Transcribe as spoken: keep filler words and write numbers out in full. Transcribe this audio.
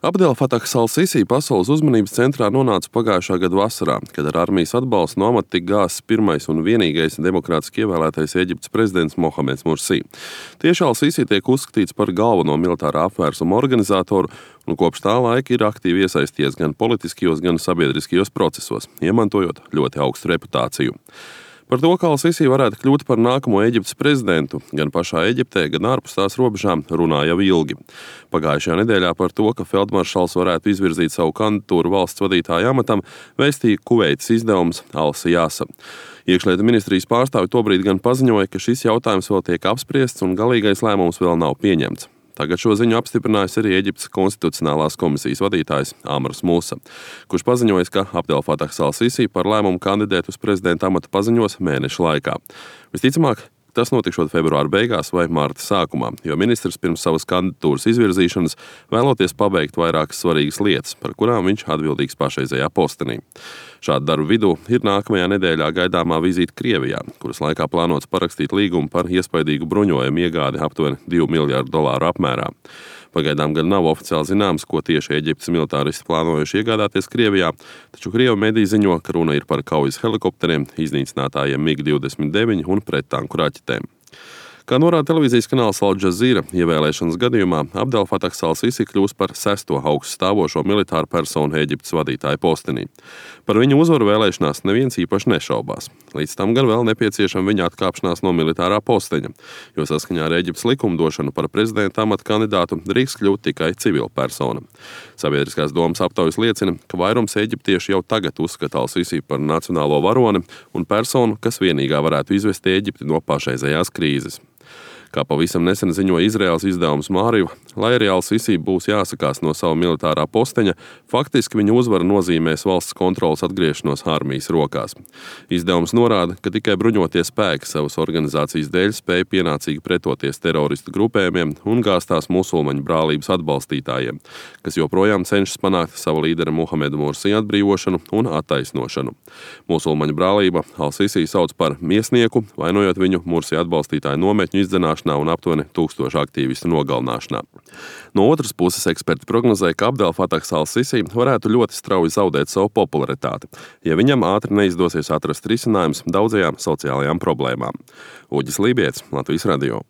Abdel Fatahs al-Sisi pasaules uzmanības centrā nonāca pagājušā gada vasarā, kad ar armijas atbalstu no amata tika gāzts pirmais un vienīgais demokrātiski ievēlētais Eģiptes prezidents Mohameds Mursī. Tieši al-Sisi tiek uzskatīts par galveno militārā apvērsuma organizatoru un kopš tā laika ir aktīvi iesaisties gan politiskajos, gan sabiedriskajos procesos, iemantojot ļoti augstu reputāciju. Par to, kā al-Sisi varētu kļūt par nākamo Eģiptes prezidentu, gan pašā Eģiptē, gan ārpus tās robežām, runā jau ilgi. Pagājušajā nedēļā par to, ka feldmaršals varētu izvirzīt savu kandidatūru valsts vadītāja amatam, vēstīja Kuveitas izdevums Al-Sijasa. Iekšlietu ministrijas pārstāvi tobrīd gan paziņoja, ka šis jautājums vēl tiek apspriests un galīgais lēmums vēl nav pieņemts. Tagad šo ziņu apstiprinājis arī Eģiptes konstitucionālās komisijas vadītājs Amrs Musa, kurš paziņojis, ka Abdel Fatahs al-Sisi par lēmumu kandidēt uz prezidenta amatu paziņos mēneša laikā. Visticamāk, tas notikšot februāra beigās vai marta sākumā, jo ministrs pirms savas kandidatūras izvirzīšanas vēloties pabeigt vairākas svarīgas lietas, par kurām viņš atbildīgs pašreizējā postenī. Šādu darbu vidū ir nākamajā nedēļā gaidāmā vizīte Krievijā, kuras laikā plānots parakstīt līgumu par iespaidīgu bruņojumu iegādi aptuveni divu miljārdu dolāru apmērā. Pagaidām gan nav oficiāli zināms, ko tieši Eģiptes militāristi plānojuši iegādāties Krievijā, taču Krievu mediji ziņo, ka runa ir par kaujas helikopteriem, iznīcinātājiem mig divdesmit deviņi un prettanku raķetēm. Kā norāda televīzijas kanāls Al Jazeera, ievēlēšanas gadījumā Abdel Fatahs al-Sisi kļūs par sesto augstu stāvošo militāru personu Eģiptes vadītāja postenī. Par viņu uzvaru vēlēšanās neviens īpaši nešaubās. Līdz tam gan vēl nepieciešama viņa atkāpšanās no militārā posteņa, jo saskaņā ar Eģiptes likumdošanu par prezidenta amata kandidātu drīkst kļūt tikai civila persona. Sabiedriskās domas aptaujas liecina, ka vairums eģiptieši jau tagad uzskata al-Sisi par nacionālo varoni un personu, kas vienīgā varētu izvest Eģipti no pašreizējās krīzes. Kā pavisam nesen ziņoja Izraēlas izdevums Māriva, lai arī al-Sisi būs jāsakās no sava militārā posteņa, faktiski viņa uzvara nozīmēs valsts kontrolas atgriešanos armijas rokās. Izdevums norāda, ka tikai bruņotie spēki savas organizācijas dēļ spēja pienācīgi pretoties teroristu grupējumiem un gāztās musulmaņu brālības atbalstītājiem, kas joprojām cenšas panākt savu līdera Mohameda Mursī atbrīvošanu un attaisnošanu. Musulmaņu brālība al-Sisi sauc par miesnieku, vainojot viņu Mursī atbalstītāju nometņu izdzenāšanu un aptuveni tūkstošu aktīvistu nogalināšanā. No otras puses eksperti prognozēja, ka Abdel Fatahs al-Sisi varētu ļoti strauji zaudēt savu popularitāti, ja viņam ātri neizdosies atrast risinājums daudzajām sociālajām problēmām. Uģis Lībijets, Latvijas radio.